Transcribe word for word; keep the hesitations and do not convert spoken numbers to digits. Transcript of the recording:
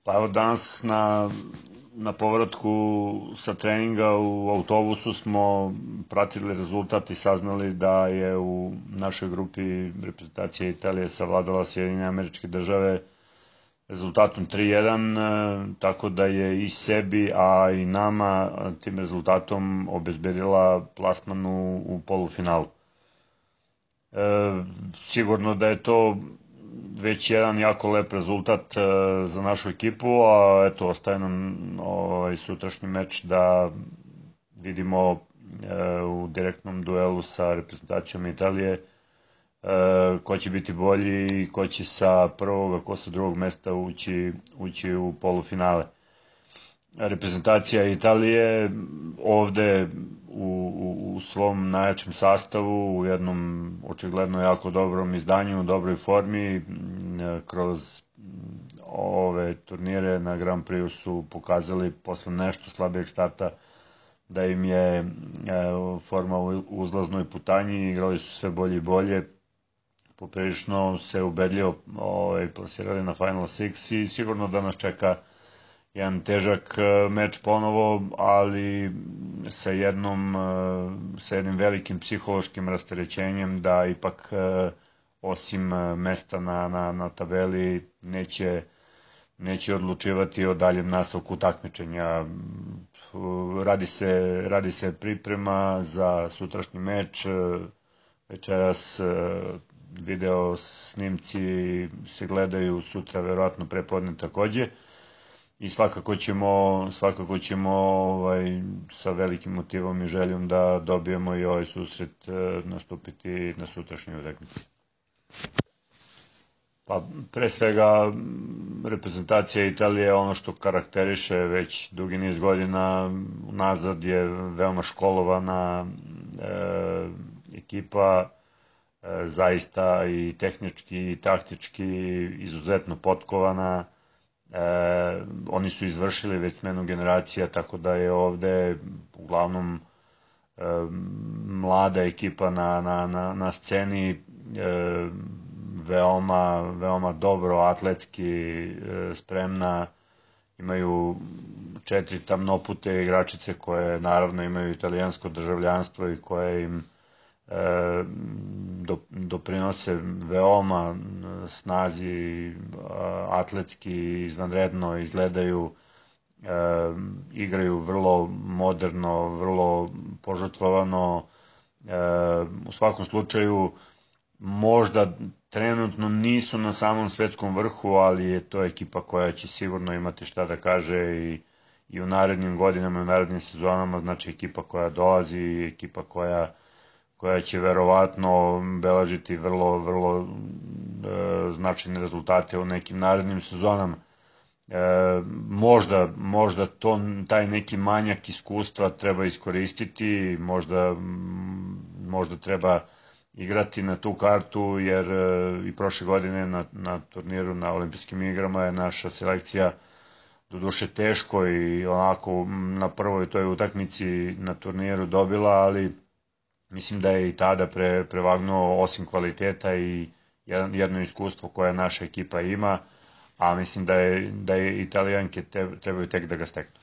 Pa evo danas na, na povratku sa treninga u autobusu smo pratili rezultat i saznali da je u našoj grupi reprezentacija Italije savladala Sjedinjene Američke Države rezultatom tri jedan, tako da je i sebi, a i nama tim rezultatom obezbedila plasman u, u polufinalu. E, sigurno da je to već jedan jako lep rezultat e, za našu ekipu, a eto, ostaje nam ovaj sutrašnji meč da vidimo e, u direktnom duelu sa reprezentacijom Italije e, ko će biti bolji i ko će sa prvog, a ko sa drugog mesta ući, ući u polufinale. Reprezentacija Italije ovde u, u, u svom najjačem sastavu, u jednom očigledno jako dobrom izdanju, u dobroj formi, kroz ove turnire na Grand Prix su pokazali posle nešto slabijeg starta da im je forma u uzlaznoj putanji, igrali su sve bolje i bolje, poprilično se ubedljivo ovaj, plasirali na Final Six i sigurno da nas čeka jedan težak meč ponovo, ali sa jednom sa jednim velikim psihološkim rasterećenjem da ipak osim mesta na, na, na tabeli neće, neće odlučivati o daljem nastavku takmičenja. Radi se, radi se priprema za sutrašnji meč, večeras video snimci se gledaju, sutra verovatno prepodne takođe. I svakako ćemo, svakako ćemo ovaj, sa velikim motivom i željom da dobijemo i ovaj susret nastupiti na sutrašnjoj utakmici. Pa pre svega reprezentacija Italije, ono što karakteriše već dugi niz godina nazad, je veoma školovana e, ekipa, e, zaista i tehnički i taktički izuzetno potkovana. E, oni su izvršili već smenu generacija, tako da je ovde uglavnom e, mlada ekipa na, na, na, na sceni, e, veoma, veoma dobro atletski e, spremna, imaju četiri tamnopute igračice koje naravno imaju italijansko državljanstvo i koje im e, do, doprinose veoma snazi, atletski izvanredno izgledaju, e, igraju vrlo moderno, vrlo požrtvovano, e, u svakom slučaju možda trenutno nisu na samom svetskom vrhu, ali je to ekipa koja će sigurno imati šta da kaže i, i u narednim godinama i u narednim sezonama, znači ekipa koja dolazi i ekipa koja koja će verovatno beležiti vrlo, vrlo e, značajne rezultate u nekim narednim sezonama. E, možda, možda to, taj neki manjak iskustva treba iskoristiti, možda, možda treba igrati na tu kartu, jer e, i prošle godine na, na turniru na olimpijskim igrama je naša selekcija doduše teško i onako na prvoj toj utakmici na turniru dobila, ali mislim da je i tada pre, prevagnuo osim kvaliteta i jedno iskustvo koje naša ekipa ima, a mislim da je, da je Italijanke trebaju tek da ga steknu.